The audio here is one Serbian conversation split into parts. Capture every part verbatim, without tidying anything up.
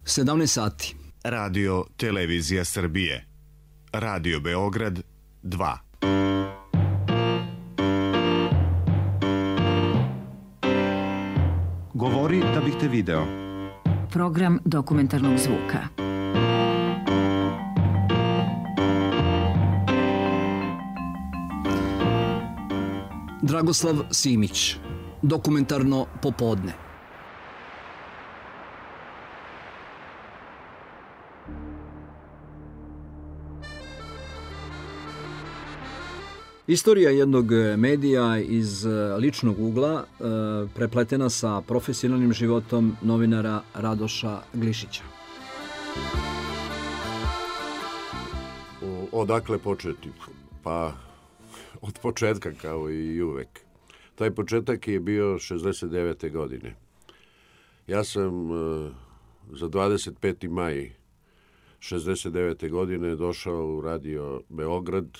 sedamnaest sati. Radio Televizija Srbije. Radio Beograd dva. Govori da bih te video. Program dokumentarnog zvuka. Dragoslav Simić. Dokumentarno popodne. Istorija jednog medija iz ličnog ugla prepletena sa profesionalnim životom novinara Radoša Glišića. Odakle početi? Pa od početka kao i uvek. Taj početak je bio šezdeset devete godine. Ja sam za dvadeset peti maj šezdeset devete godine došao u Radio Beograd.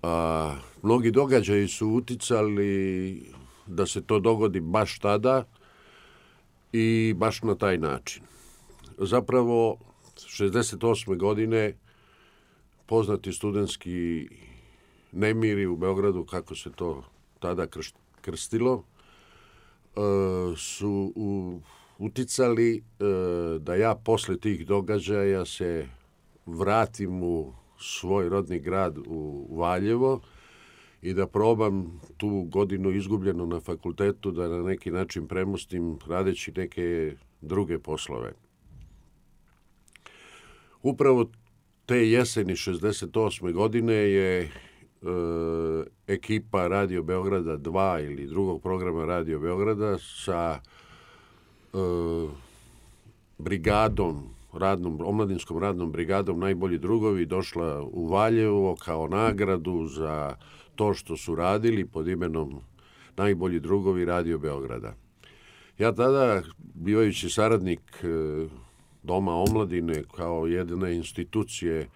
A, mnogi događaji su uticali da se to dogodi baš tada i baš na taj način. Zapravo, šezdeset osme godine poznati studentski nemiri u Beogradu, kako se to tada krstilo, su uticali da ja posle tih događaja se vratim u svoj rodni grad u Valjevo i da probam tu godinu izgubljenu na fakultetu da na neki način premostim radeći neke druge poslove. Upravo te jeseni šezdeset osme godine je e, ekipa Radio Beograda dva ili drugog programa Radio Beograda sa e, brigadom radnom, omladinskom radnom brigadom Najbolji drugovi došla u Valjevo kao nagradu za to što su radili pod imenom Najbolji drugovi Radio Beograda. Ja tada, bivajući saradnik Doma omladine kao jedne institucije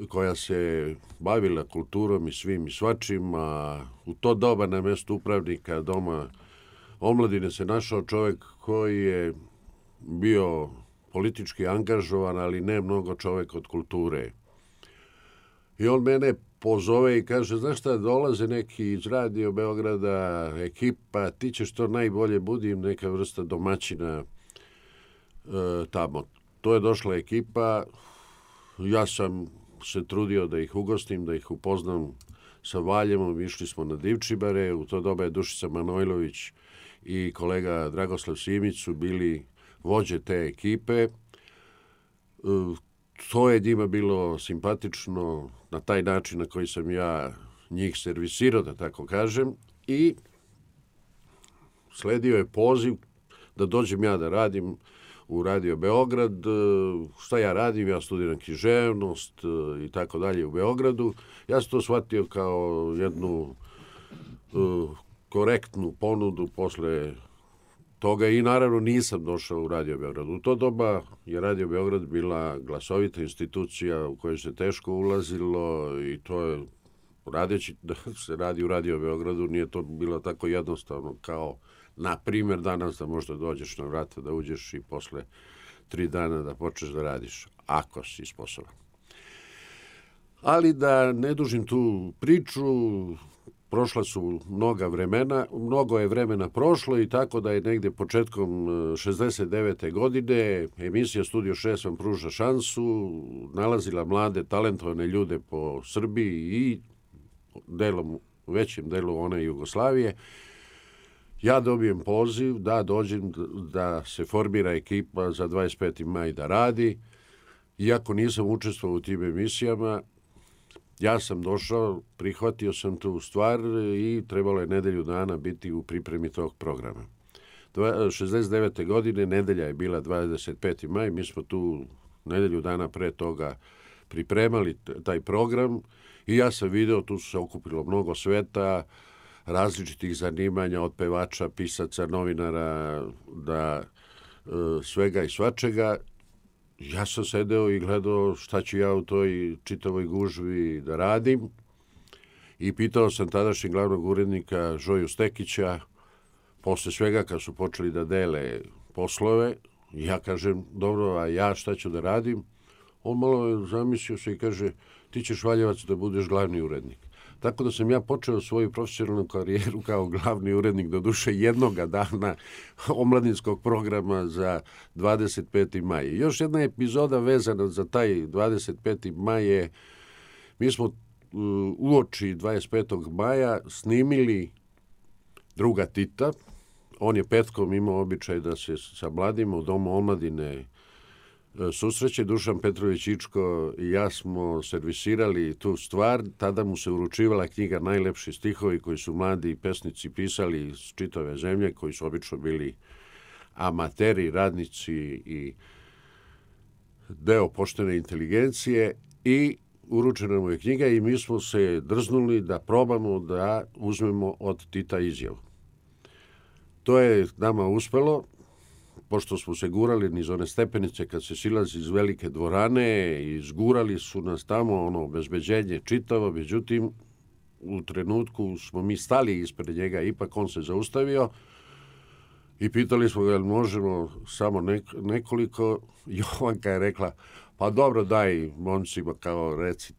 koja se bavila kulturom i svim i svačim, a u to doba na mestu upravnika Doma omladine se našao čovjek koji je bio politički angažovan, ali ne mnogo čovjek od kulture. I on mene pozove i kaže, znaš šta, dolaze neki iz Radio Beograda, ekipa, ti ćeš to najbolje, budim neka vrsta domaćina e, tamo. To je došla ekipa, ja sam se trudio da ih ugostim, da ih upoznam sa Valjevom, išli smo na Divčibare, u to doba je Dušica Manojlović i kolega Dragoslav Simić su bili vođe te ekipe. To je njima bilo simpatično na taj način na koji sam ja njih servisirao, da tako kažem, i sledio je poziv da dođem ja da radim u Radio Beograd. Šta ja radim? Ja studiram književnost i tako dalje u Beogradu. Ja sam to shvatio kao jednu uh, korektnu ponudu posle toga i naravno nisam došao u Radio Beograd. U to doba je Radio Beograd bila glasovita institucija u kojoj se teško ulazilo i to je, radeći da se radi u Radio Beogradu, nije to bilo tako jednostavno kao, na primjer, danas da možda dođeš na vrata, da uđeš i posle tri dana da počneš da radiš, ako si sposoban. Ali da ne dužim tu priču, prošla su mnoga vremena, mnogo je vremena prošlo i tako da je negde početkom šezdeset devete godine emisija Studio šest vam pruža šansu, nalazila mlade, talentovane ljude po Srbiji i delom, većem delu one Jugoslavije. Ja dobijem poziv da dođem da se formira ekipa za dvadeset peti maj da radi. Iako nisam učestvovao u tim emisijama, ja sam došao, prihvatio sam tu stvar i trebalo je nedelju dana biti u pripremi tog programa. šezdeset devete godine, nedelja je bila dvadeset peti maj, mi smo tu nedelju dana pre toga pripremali taj program i ja sam video, tu su se okupilo mnogo sveta, različitih zanimanja, od pevača, pisaca, novinara, da svega i svačega. Ja sam sedeo i gledao šta ću ja u toj čitavoj gužvi da radim i pitao sam tadašnjeg glavnog urednika Žoju Stekića, posle svega kad su počeli da dele poslove, Ja kažem, dobro, a ja šta ću da radim? On malo je zamislio se i kaže, ti ćeš Valjevac da budeš glavni urednik. Tako da sam ja počeo svoju profesionalnu karijeru kao glavni urednik do duše jednoga dana omladinskog programa za dvadeset peti maj. Još jedna epizoda vezana za taj dvadeset peti maj je, mi smo uoči dvadeset petog maja snimili druga Tita. On je petkom imao običaj da se sa mladima u Domu omladine susreće. Dušan Petrović Ičko i ja smo servisirali tu stvar. Tada mu se uručivala knjiga Najlepši stihovi koji su mladi pesnici pisali iz čitave zemlje, koji su obično bili amateri, radnici i deo poštene inteligencije, i uručena mu je knjiga i mi smo se drznuli da probamo da uzmemo od Tita izjavu. To je nama uspelo, pošto smo se gurali niz one stepenice kad se silazi iz velike dvorane, i zgurali su nas tamo, ono, obezbeđenje čitavo, međutim, u trenutku smo mi stali ispred njega, ipak on se zaustavio i pitali smo ga, možemo samo nekoliko. Jovanka je rekla, pa dobro, daj momcima, kao reci.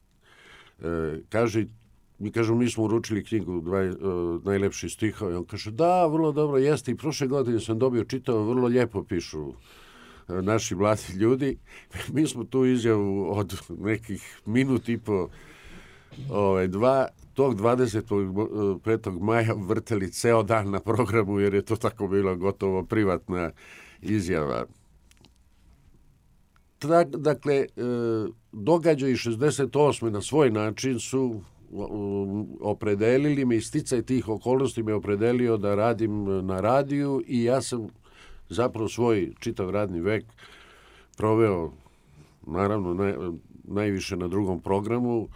E, kaže, mi kažemo, mi smo uručili knjigu dva, uh, Najlepši stihovi. On kaže, da, vrlo dobro, jeste, i prošle godine sam dobio čitao, vrlo lijepo pišu uh, naši mladi ljudi. Mi smo tu izjavu od nekih minut i po ovaj, dva, tog dvadeset petog maja vrteli ceo dan na programu, jer je to tako bilo gotovo privatna izjava. Dakle, događaji šezdeset osme na svoj način su opredelili me, i sticaj tih okolnosti me opredelio da radim na radiju, i ja sam zapravo svoj čitav radni vek proveo, naravno, naj, najviše na drugom programu,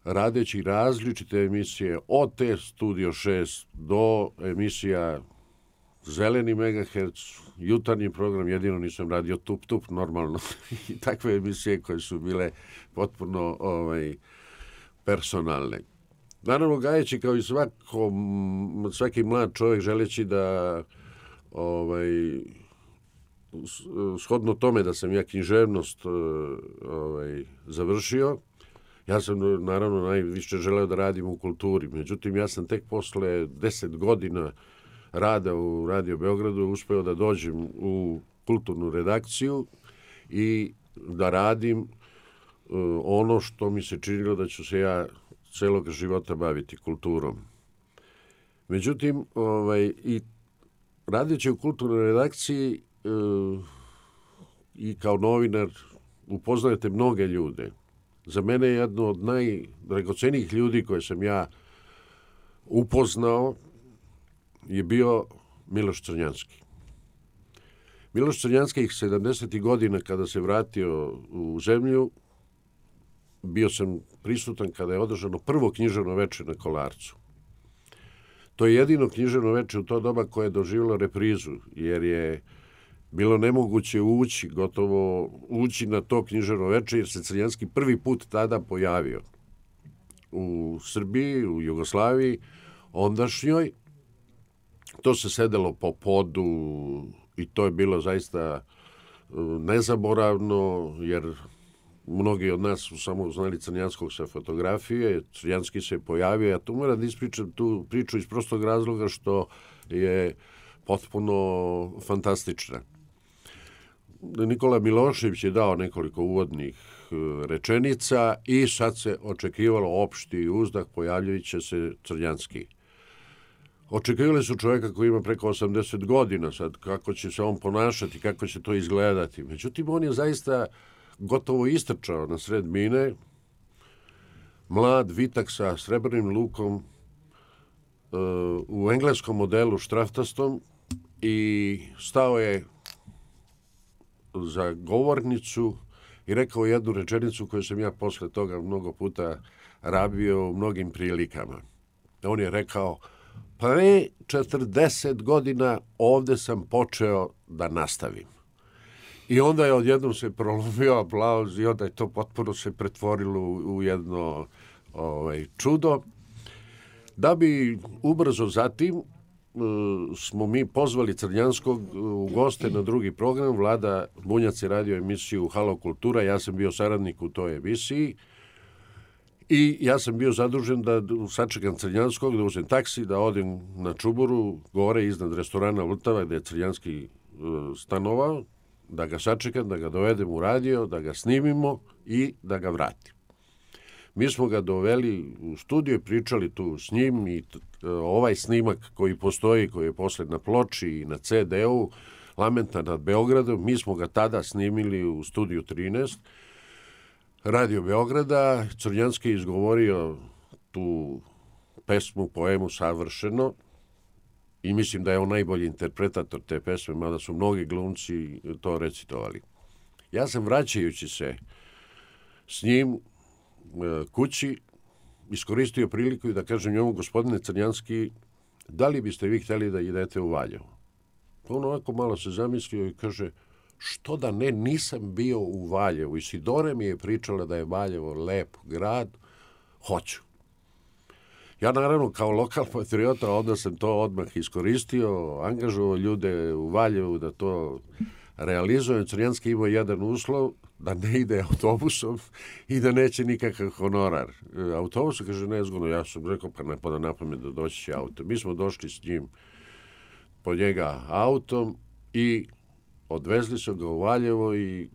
radeći različite emisije, od te Studio šest do emisija Zeleni megaherc, jutarnji program, jedino nisam radio Tup Tup normalno, i takve emisije koje su bile potpuno ovaj, personalne. Naravno, gajeći kao i svako, svaki mlad čovjek, želeći da ovaj, shodno tome da sam ja književnost ovaj, završio, ja sam naravno najviše želeo da radim u kulturi. Međutim, ja sam tek posle deset godina rada u Radio Beogradu uspeo da dođem u kulturnu redakciju i da radim uh, ono što mi se činilo da ću se ja celog života baviti kulturom. Međutim, ovaj, i radeći u kulturnoj redakciji uh, i kao novinar upoznajete mnoge ljude. Za mene je jedno od najdragocenijih ljudi koje sam ja upoznao je bio Miloš Crnjanski. Miloš Crnjanski sedamdesetih godina kada se vratio u zemlju, bio sam prisutan kada je održano prvo književno veče na Kolarcu. To je jedino književno veče u to doba koje je doživjelo reprizu, jer je bilo nemoguće ući, gotovo ući na to književno veče, jer se Crnjanski prvi put tada pojavio u Srbiji, u Jugoslaviji, ondašnjoj. To se sedelo po podu i to je bilo zaista nezaboravno, jer mnogi od nas su samo znali Crnjanskog sa fotografije. Crnjanski se pojavio. Ja tu moram da ispričam tu priču iz prostog razloga što je potpuno fantastična. Nikola Milošević je dao nekoliko uvodnih rečenica i sad se očekivalo opšti uzdah, pojavljivit će se Crnjanski. Očekivali su čovjeka koji ima preko osamdeset godina, sad kako će se on ponašati, kako će to izgledati. Međutim, on je zaista gotovo istrčao na sred bine, mlad, vitak sa srebrnim lukom, u engleskom modelu štraftastom, i stao je za govornicu i rekao jednu rečenicu koju sam ja posle toga mnogo puta rabio u mnogim prilikama. On je rekao, pre četrdeset godina ovde sam počeo da nastavim. I onda je odjednom se prolomio aplauz i onda je to potpuno se pretvorilo u jedno ovaj, čudo. Da bi ubrzo zatim smo mi pozvali Crnjanskog u goste na drugi program. Vlada Bunjac je radio emisiju Halo Kultura, ja sam bio saradnik u toj emisiji i ja sam bio zadužen da sačekam Crnjanskog, da uzem taksi, da odem na Čuburu, gore iznad restorana Vltava gde je Crnjanski stanovao, da ga sačekam, da ga dovedem u radio, da ga snimimo i da ga vratim. Mi smo ga doveli u studio i pričali tu s njim i ovaj snimak koji postoji, koji je posle na ploči i na ce de-u, Lamenta nad Beogradom, mi smo ga tada snimili u studiju trinaest, Radio Beograda. Crnjanski je izgovorio tu pesmu, poemu savršeno i mislim da je on najbolji interpretator te pesme, mada su mnogi glumci to recitovali. Ja sam, vraćajući se s njim kući, iskoristio priliku i da kažem njemu: gospodine Crnjanski, da li biste vi htjeli da idete u Valjevo? On ovako malo se zamislio i kaže: što da ne, nisam bio u Valjevu. Isidore mi je pričala da je Valjevo lep grad, hoću. Ja naravno kao lokal patriota onda sam to odmah iskoristio, angažovao ljude u Valjevu da to realizujem. Crnjanski imao jedan uslov, da ne ide autobusom i da neće nikakav honorar. Autobus, kaže, nezgodno. Ja sam rekao, pa ne pada na pamet da doći će auto. Mi smo došli s njim po njega autom i odvezli su ga u Valjevo i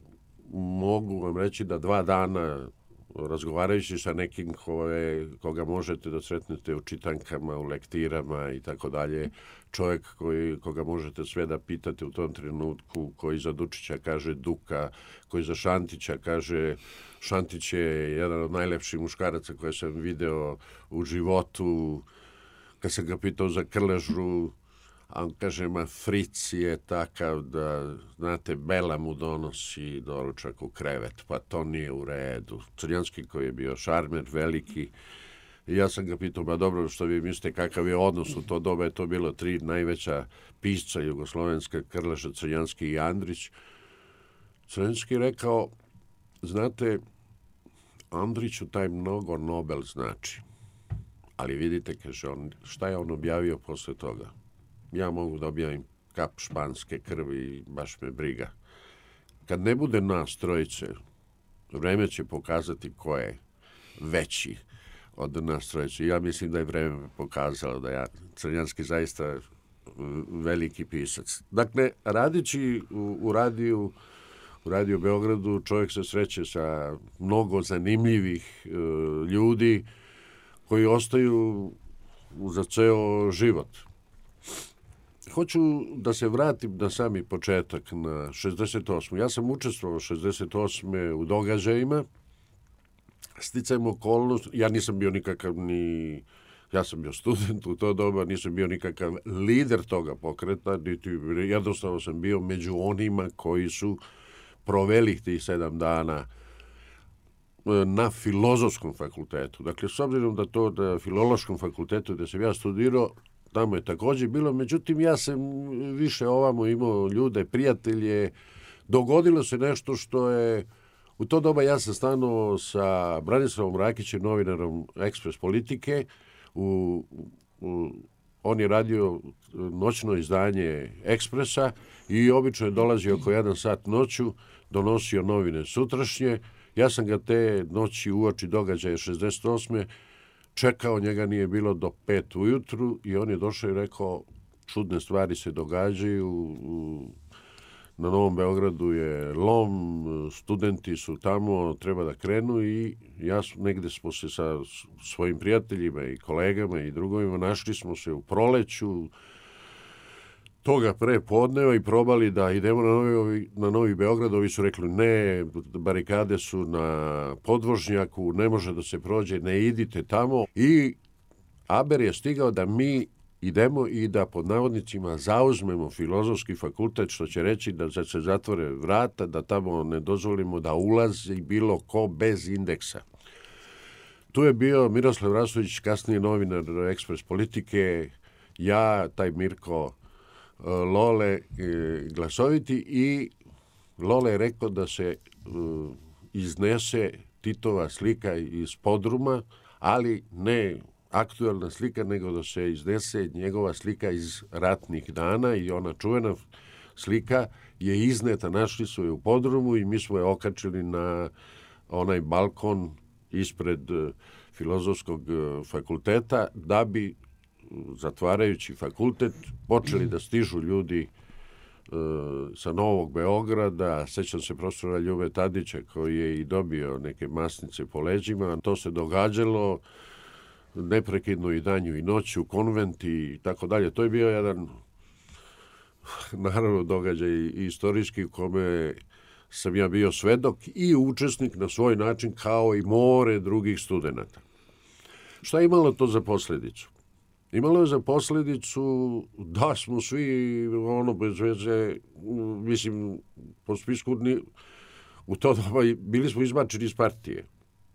mogu vam reći da dva dana, razgovarajući sa nekim koje, koga možete da sretnete u čitankama, u lektirama i tako dalje, čovjek koji, koga možete sve da pitate u tom trenutku, koji za Dučića kaže Duka, koji za Šantića kaže, Šantić je jedan od najlepših muškaraca koje sam video u životu. Kad sam ga pitao za Krležu, a on kaže, ma Fric je takav da, znate, Bela mu donosi doručak u krevet, pa to nije u redu. Crnjanski koji je bio šarmer, veliki. I ja sam ga pitao, ba dobro, što vi mislite, kakav je odnos u to doba, je to bilo tri najveća pisca jugoslovenska, Krleža, Crnjanski i Andrić. Crnjanski rekao, znate, Andriću taj mnogo Nobel znači. Ali vidite, kaže on, šta je on objavio posle toga? Ja mogu da objavim kap španske krvi i baš me briga. Kad ne bude nas trojice, vreme će pokazati ko je veći od nas trojice. Ja mislim da je vreme pokazalo da ja Crnjanski zaista veliki pisac. Dakle, radići u, u radiju u Radio Beogradu, čovjek se sreće sa mnogo zanimljivih e, ljudi koji ostaju za ceo život. Hoću da se vratim na sami početak, na šezdeset osmu. Ja sam učestvovao šezdeset osme u događajima. Sticajem okolnost, ja nisam bio nikakav ni... Ja sam bio student u to doba, nisam bio nikakav lider toga pokreta, niti, jednostavno sam bio među onima koji su proveli tih sedam dana na Filozofskom fakultetu. Dakle, s obzirom da to na Filološkom fakultetu gde sam ja studirao, tamo je također bilo, međutim ja sam više ovamo imao ljude, prijatelje. Dogodilo se nešto što je, u to doba ja sam stanovao sa Branislavom Rakićem, novinarom Ekspres Politike, u, u, on je radio noćno izdanje Ekspresa i obično je dolazio oko jedan sat noću, donosio novine sutrašnje. Ja sam ga te noći uoči događaja šezdeset osme čekao, njega nije bilo do pet ujutru i on je došao i rekao, čudne stvari se događaju, na Novom Beogradu je lom, studenti su tamo, treba da krenu i ja negde smo se sa svojim prijateljima i kolegama i drugovima našli smo se u proleću toga pre podneva i probali da idemo na Novi, na Novi Beograd. Ovi su rekli ne, barikade su na podvožnjaku, ne može da se prođe, ne idite tamo. I Aber je stigao da mi idemo i da pod navodnicima zauzmemo Filozofski fakultet, što će reći da se zatvore vrata, da tamo ne dozvolimo da ulazi bilo ko bez indeksa. Tu je bio Miroslav Rastović, kasnije novinar Ekspres Politike, ja, taj Mirko Lole Glasoviti, i Lole je rekao da se iznese Titova slika iz podruma, ali ne aktuelna slika, nego da se iznese njegova slika iz ratnih dana i ona čuvena slika je izneta, našli su je u podrumu i mi smo je okačili na onaj balkon ispred Filozofskog fakulteta da bi, zatvarajući fakultet, počeli da stižu ljudi sa Novog Beograda. Sećam se profesora Ljube Tadića koji je i dobio neke masnice po leđima. To se događalo neprekidno i danju i noću, konventi i tako dalje. To je bio jedan naravno događaj istorijski u kome sam ja bio svedok i učesnik na svoj način kao i more drugih studenata. Šta je imalo to za posledicu? Imalo je za posledicu da smo svi ono bez veze, mislim, po spisku u to doba bili smo izbačeni iz partije.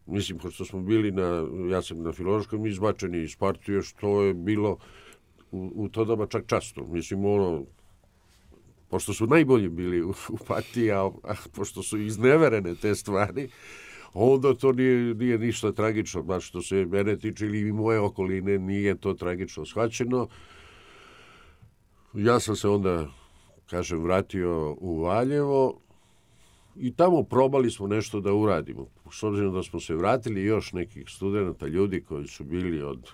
Mislim, pošto smo bili na, ja sam na Filozofskom izbačeni iz partije, što je bilo u, u to doba čak časno. Mislim, ono, pošto su najbolji bili u, u partiji, a, a pošto su izneverene te stvari, onda to nije, nije ništa tragično, baš što se mene tiče ili moje okoline, nije to tragično shvaćeno. Ja sam se onda, kažem, vratio u Valjevo i tamo probali smo nešto da uradimo. S obzirom da smo se vratili još nekih studenta, ljudi koji su bili od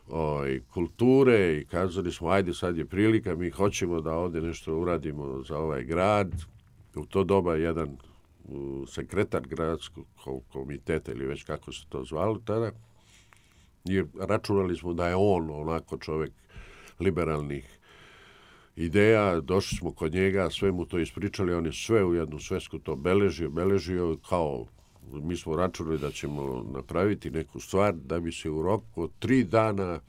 oj, kulture i kazali smo, ajde sad je prilika, mi hoćemo da ovdje nešto uradimo za ovaj grad. U to doba jedan sekretar gradskog komiteta ili već kako se to zvalo tada, i računali smo da je on onako čovjek liberalnih ideja, došli smo kod njega, sve mu to ispričali, on je sve u jednu svesku to beležio, beležio kao mi smo računali da ćemo napraviti neku stvar da bi se u roku od tri dana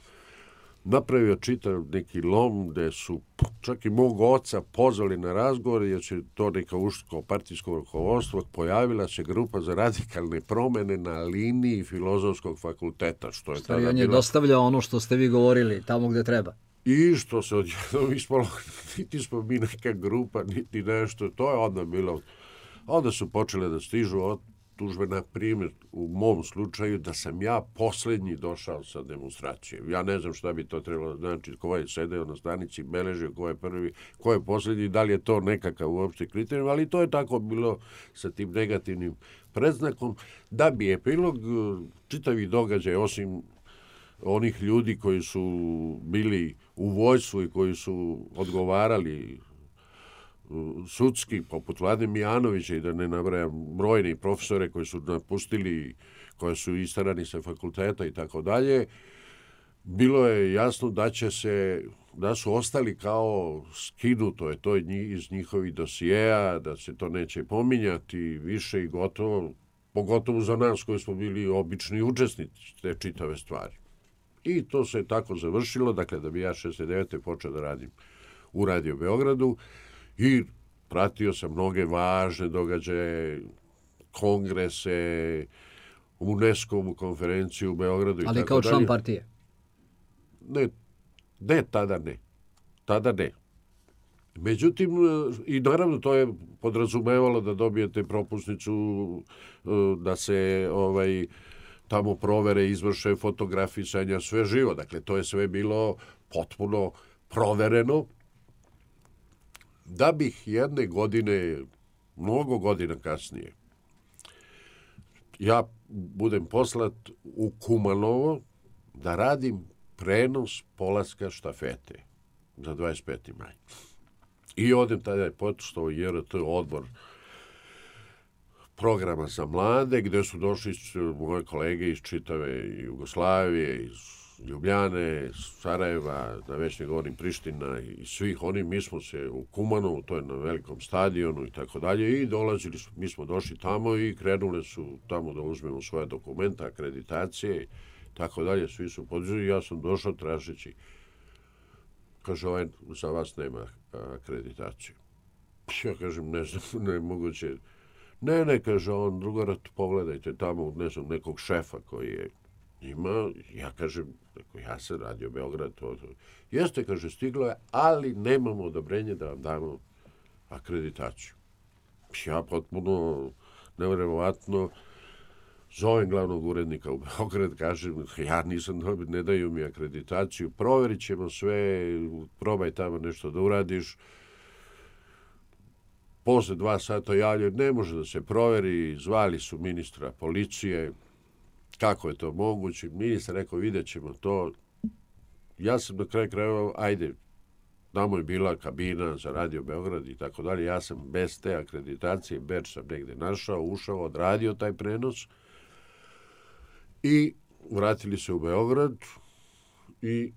napravio čitav neki lom gde su čak i mog oca pozvali na razgovor jer će to neka uško partijsko rukovodstvo, pojavila se grupa za radikalne promene na liniji Filozofskog fakulteta. Što je Stvari, tada on je bila... dostavljao ono što ste vi govorili tamo gde treba. I što se odjednom ispalo, niti smo mi neka grupa, niti nešto, to je onda bilo. Onda su počele da stižu od tužbe, na primjer, u mom slučaju, da sam ja posljednji došao sa demonstracijom. Ja ne znam šta bi to trebalo znači, ko je sedeo na stanici, beležio ko je prvi, ko je posljednji, da li je to nekakav uopšte kriterijum, ali to je tako bilo sa tim negativnim predznakom, da bi epilog čitavi događaj, osim onih ljudi koji su bili u vojsku i koji su odgovarali sudski, poput Vlade Mijanovića i da ne nabrajam brojni profesore koji su napustili, koji su istarani sa fakulteta i tako dalje, bilo je jasno da će se, da su ostali kao skinuto je to iz njihovih dosijeja, da se to neće pominjati više i gotovo, pogotovo za nas koji smo bili obični učesnici te čitave stvari. I to se tako završilo, dakle da bi ja šezdeset devete počeo da radim u Radio Beogradu i pratio sam mnoge važne događaje, kongrese, UNESCO-vu konferenciju u Beogradu i tako dalje. Ali kao član partije? Ne, ne, tada ne. Tada ne. Međutim, i naravno to je podrazumevalo da dobijete propusnicu, da se ovaj tamo provere, izvrše fotografisanja, sve živo. Dakle, to je sve bilo potpuno provereno. Da bih jedne godine, mnogo godina kasnije, ja budem poslat u Kumanovo da radim prenos polaska štafete za dvadeset peti maj. I odem tada je počeo J R T odbor programa za mlade, gde su došli moje kolege iz čitave Jugoslavije, iz Ljubljane, Sarajeva, da već ne govorim Priština i svih oni, mi smo se u Kumanovu, to je na velikom stadionu i tako dalje, i dolazili smo, mi smo došli tamo i krenuli su tamo da uzmemo svoje dokumenta, akreditacije i tako dalje, svi su podizali i ja sam došao tražeći, kaže, ovaj za vas nema akreditaciju. Ja kažem, ne znam, ne moguće. Ne, ne, kaže on, drugorat, pogledajte tamo, ne znam, nekog šefa koji je ima, ja kažem, ja sam Radio Beograd, to, to. Jeste, kaže, stiglo je, ali nemamo odobrenje da vam damo akreditaciju. Ja potpuno nevjerovatno Zovem glavnog urednika u Beograd, kažem, ja nisam dobio, ne daju mi akreditaciju, proverit ćemo sve, probaj tamo nešto da uradiš. Posle dva sata javljaju, ne može da se proveri, zvali su ministra policije, kako je to moguće. Ministar rekao, vidjet ćemo to. Ja sam na kraju krajeva, ajde, tamo je bila kabina za Radio Beograd i tako dalje. Ja sam bez te akreditacije, bedž sam negde našao, ušao, odradio taj prenos i vratili se u Beograd i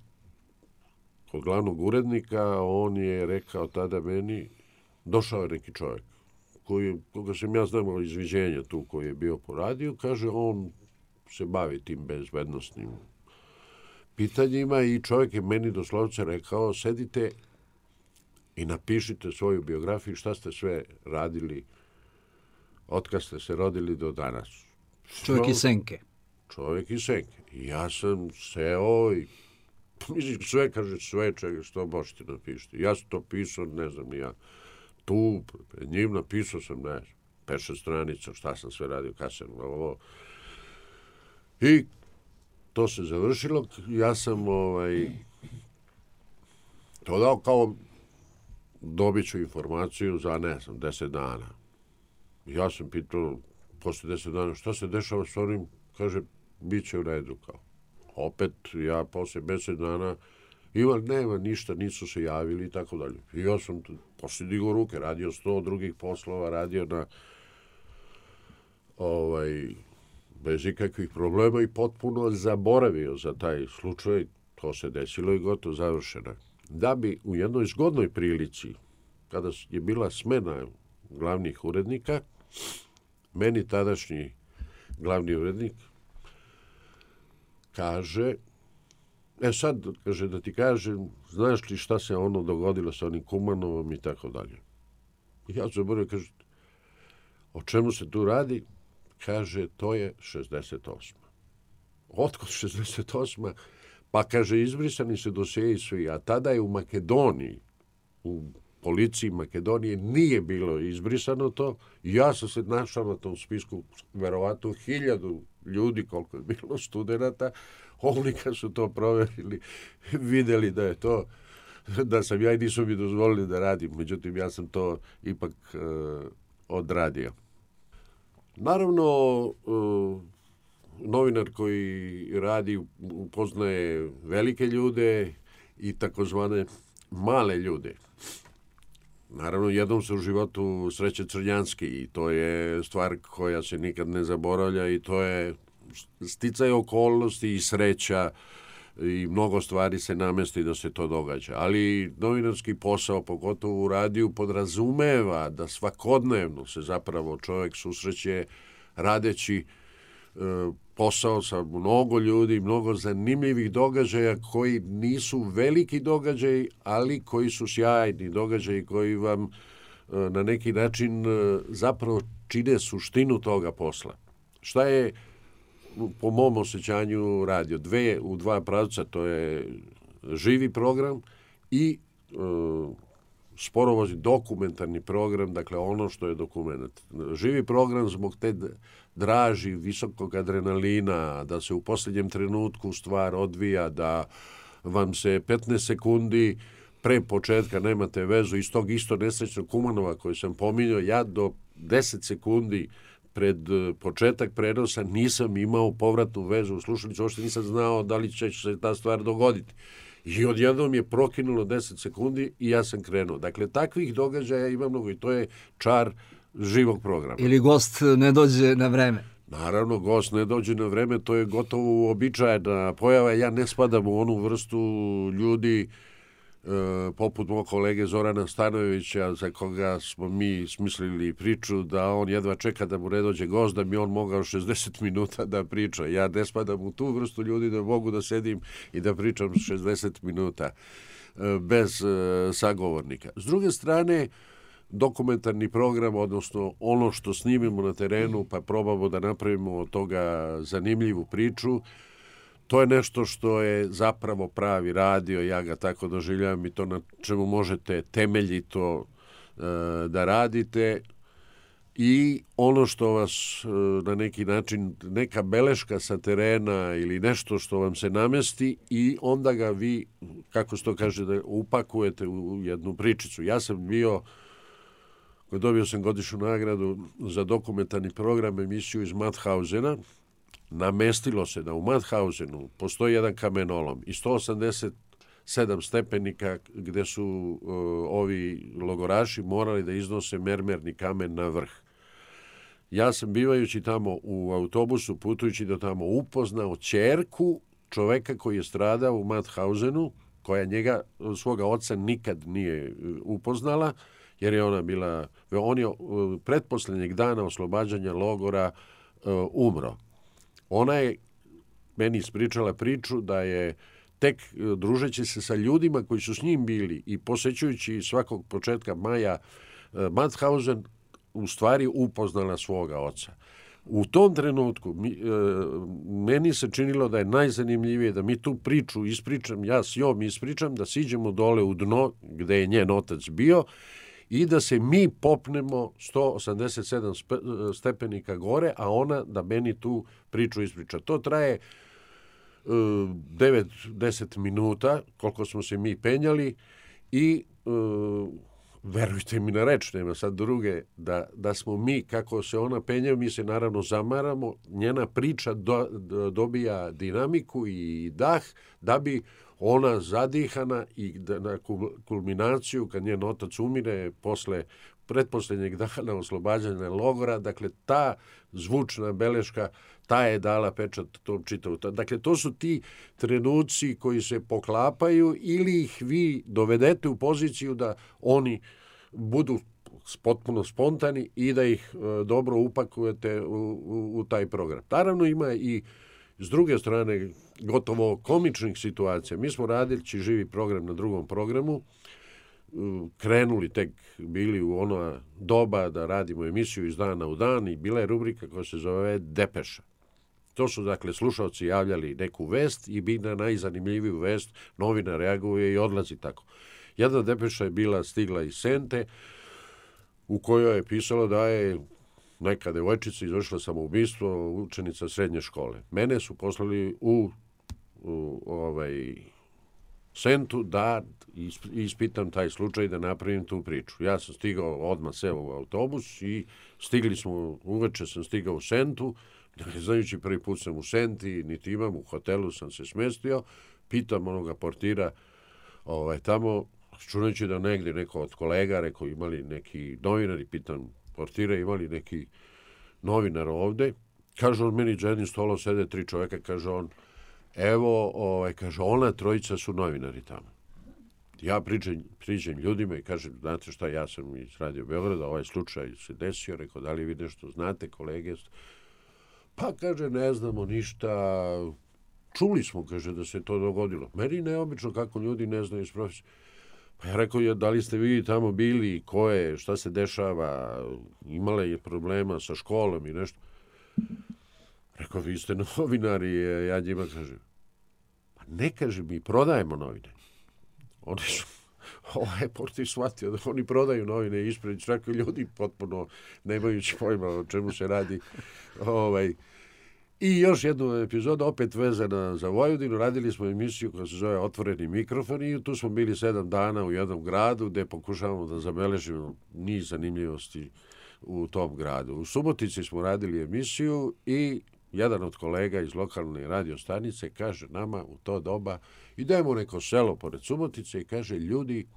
kod glavnog urednika on je rekao tada meni, došao je neki čovjek koji, koga sam ja znamo izviđenja tu koji je bio po radiju, kaže on se bavi tim bezbednostnim pitanjima i čovjek je meni doslovce rekao, sedite i napišite svoju biografiju šta ste sve radili od kad ste se rodili do danas. Čovjek iz Senke. Čovjek iz Senke. I ja sam seo i mislim, sve, kaže, sve čega što možete napišiti. Ja sam to pisao, ne znam ni ja. Tu, pred njim napisao sam, ne znam, pet šest stranica, šta sam sve radio, kad sam ovo. I to se završilo. Ja sam ovaj, to dao kao dobit ću informaciju za, ne znam, deset dana. Ja sam pitao posle deset dana šta se dešava s onim, kaže, bit će u redu kao. Opet ja posle deset dana ima, nema ništa, nisu se javili i tako dalje. I ja sam posle digao ruke, radio sto drugih poslova, radio na ovaj, bez ikakvih problema i potpuno zaboravio za taj slučaj. To se desilo i gotovo završeno. Da bi u jednoj zgodnoj prilici, kada je bila smena glavnih urednika, meni tadašnji glavni urednik kaže, e sad, kaže, da ti kažem, znaš li šta se ono dogodilo sa onim Kumanovom i tako dalje. I ja zaboravio, kaže, o čemu se tu radi? Kaže, to je šezdeset osma. Otkud šezdeset osma? Pa, kaže, izbrisani se dosjeji svi, a tada je u Makedoniji, u policiji Makedonije nije bilo izbrisano to. Ja sam se našao na tom spisku, verovatno hiljadu ljudi, koliko je bilo studenata. Oni kad su to proverili, videli da je to, da sam ja i nisu mi dozvolili da radim. Međutim, ja sam to ipak uh, odradio. Naravno, uh, novinar koji radi upoznaje velike ljude i takozvane male ljude. Naravno, jednom se u životu sreće Crnjanski i to je stvar koja se nikad ne zaboravlja i to je sticaj okolnosti i sreća i mnogo stvari se namesti da se to događa. Ali novinarski posao, pogotovo u radiju, podrazumeva da svakodnevno se zapravo čovjek susreće radeći e, posao sa mnogo ljudi, mnogo zanimljivih događaja koji nisu veliki događaji, ali koji su sjajni događaji koji vam e, na neki način e, zapravo čine suštinu toga posla. Šta je po mom osjećanju radio? Dve, u dva pravca, to je živi program i e, sporovozni dokumentarni program, dakle ono što je dokument. Živi program zbog te draži, visokog adrenalina, da se u posljednjem trenutku stvar odvija, da vam se petnaest sekundi pre početka nemate vezu iz tog isto nesrećnog Kumanova koji sam pominjao, ja do deset sekundi pred početak prenosa nisam imao povratnu vezu u slušalicu, uopšte nisam znao da li će se ta stvar dogoditi. I odjednom je prokinulo deset sekundi i ja sam krenuo. Dakle, takvih događaja ima mnogo i to je čar živog programa. Ili gost ne dođe na vreme. Naravno, gost ne dođe na vreme, to je gotovo uobičajena pojava. Ja ne spadam u onu vrstu ljudi e, poput mog kolege Zorana Stanojevića, za koga smo mi smislili priču da on jedva čeka da mu ne dođe gost, da mi on mogao šezdeset minuta da priča. Ja ne spadam u tu vrstu ljudi da mogu da sedim i da pričam šezdeset minuta e, bez e, sagovornika. S druge strane, dokumentarni program, odnosno ono što snimimo na terenu pa probamo da napravimo od toga zanimljivu priču, to je nešto što je zapravo pravi radio, ja ga tako doživljavam i to na čemu možete temeljito e, da radite i ono što vas na neki način, neka beleška sa terena ili nešto što vam se namesti i onda ga vi, kako se to kaže, da upakujete u jednu pričicu. Ja sam bio, dobio sam godišnju nagradu za dokumentarni program, emisiju iz Mauthausena. Namestilo se da u Mauthausenu postoji jedan kamenolom i sto osamdeset sedam stepenika gde su uh, ovi logoraši morali da iznose mermerni kamen na vrh. Ja sam bivajući tamo u autobusu, putujući do tamo, upoznao ćerku čoveka koji je stradao u Mauthausenu, koja njega, svoga oca nikad nije upoznala, jer je ona bila, on je uh, pretposlednjeg dana oslobađanja logora uh, umro. Ona je meni ispričala priču da je tek družeći se sa ljudima koji su s njim bili i posećujući svakog početka maja Mauthausen, u stvari upoznala svoga oca. U tom trenutku mi, e, meni se činilo da je najzanimljivije da mi tu priču ispričam, ja s njom ispričam, da siđemo dole u dno gde je njen otac bio i da se mi popnemo sto osamdeset sedam stepenika gore, a ona da meni tu priču ispriča. To traje devet do deset minuta, koliko smo se mi penjali i uh, verujte mi na reč, nema sad druge, da, da smo mi, kako se ona penjao, mi se naravno zamaramo, njena priča do, do, dobija dinamiku i dah, da bi ona zadihana i da, na kulminaciju, kad njen otac umire, posle pretposlednjeg dana oslobađanja logora, dakle, ta zvučna beleška, ta je dala pečat tom čitavu. Dakle, to su ti trenuci koji se poklapaju ili ih vi dovedete u poziciju da oni budu potpuno spontani i da ih e, dobro upakujete u, u, u taj program. Naravno, ima i s druge strane gotovo komičnih situacija. Mi smo radili živi program na drugom programu, krenuli tek bili u ono doba da radimo emisiju iz dana u dan i bila je rubrika koja se zove Depeša. To su, dakle, slušalci javljali neku vest i bi na najzanimljiviju vest novina reaguje i odlazi tako. Jedna depeša je bila stigla iz Sente u kojoj je pisalo da je neka devojčica izvršila samoubistvo, učenica srednje škole. Mene su poslali u, u ovaj Sentu da ispitam taj slučaj, da napravim tu priču. Ja sam stigao, odmah seo u autobus i stigli smo, uveče sam stigao u Sentu, ne znajući prvi put sam u Senti, niti imam, u hotelu sam se smestio, pitam onoga portira ovaj, tamo, čunajući da negdje neko od kolega, rekao imali neki novinari, pitam portira imali neki novinar ovde, kaže on meni za jednim stolom sede tri čoveka, kaže on, evo, ovaj, kaže, ona trojica su novinari tamo. Ja pričam, priđem ljudima i kažem, znate šta, ja sam iz Radio Beograda, ovaj slučaj se desio, rekao, da li vi nešto znate, kolege? Pa, kaže, ne znamo ništa, čuli smo, kaže, da se to dogodilo. Meni neobično kako ljudi ne znaju iz profesije. Pa ja rekao, da li ste vi tamo bili, ko je, šta se dešava, imala je problema sa školom i nešto. Rekao, vi ste novinari, ja njima kažem, pa ne kaže mi, prodajemo novine. Oni su, ovaj portir shvatio da oni prodaju novine ispred, čak i ljudi potpuno nemajući pojma o čemu se radi. Ovaj. I još jednu epizodu, opet vezana za Vojvodinu, radili smo emisiju koja se zove Otvoreni mikrofon i tu smo bili sedam dana u jednom gradu gde pokušavamo da zabeležimo niz zanimljivosti u tom gradu. U Subotici smo radili emisiju i jedan od kolega iz lokalne radio stanice kaže nama u to doba, idemo u neko selo pored Subotice i kaže, ljudi,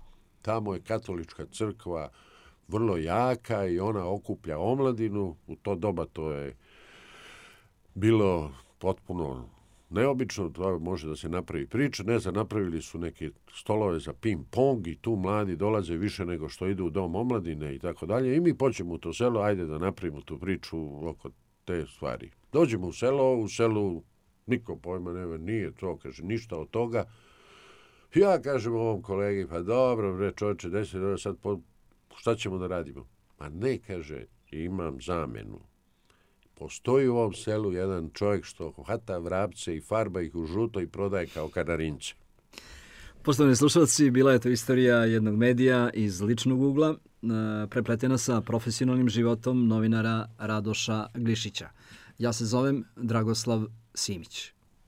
tamo je katolička crkva vrlo jaka i ona okuplja omladinu. U to doba to je bilo potpuno neobično, to može da se napravi priča. Ne znam, napravili su neke stolove za ping-pong i tu mladi dolaze više nego što idu u dom omladine i tako dalje. I mi počnemo u to selo, ajde da napravimo tu priču oko te stvari. Dođemo u selo, u selu niko pojma nema, nije to, kaže, ništa od toga. Ja kažem ovom kolegi, pa dobro, bre, čovječe, desi, sad po, šta ćemo da radimo? Ma ne, kaže, imam zamenu. Postoji u ovom selu jedan čovjek što hvata vrapce i farba ih u žuto i prodaje kao kanarince. Poštovani slušalci, bila je to istorija jednog medija iz ličnog ugla, prepletena sa profesionalnim životom novinara Radoša Glišića. Ja se zovem Dragoslav Simić.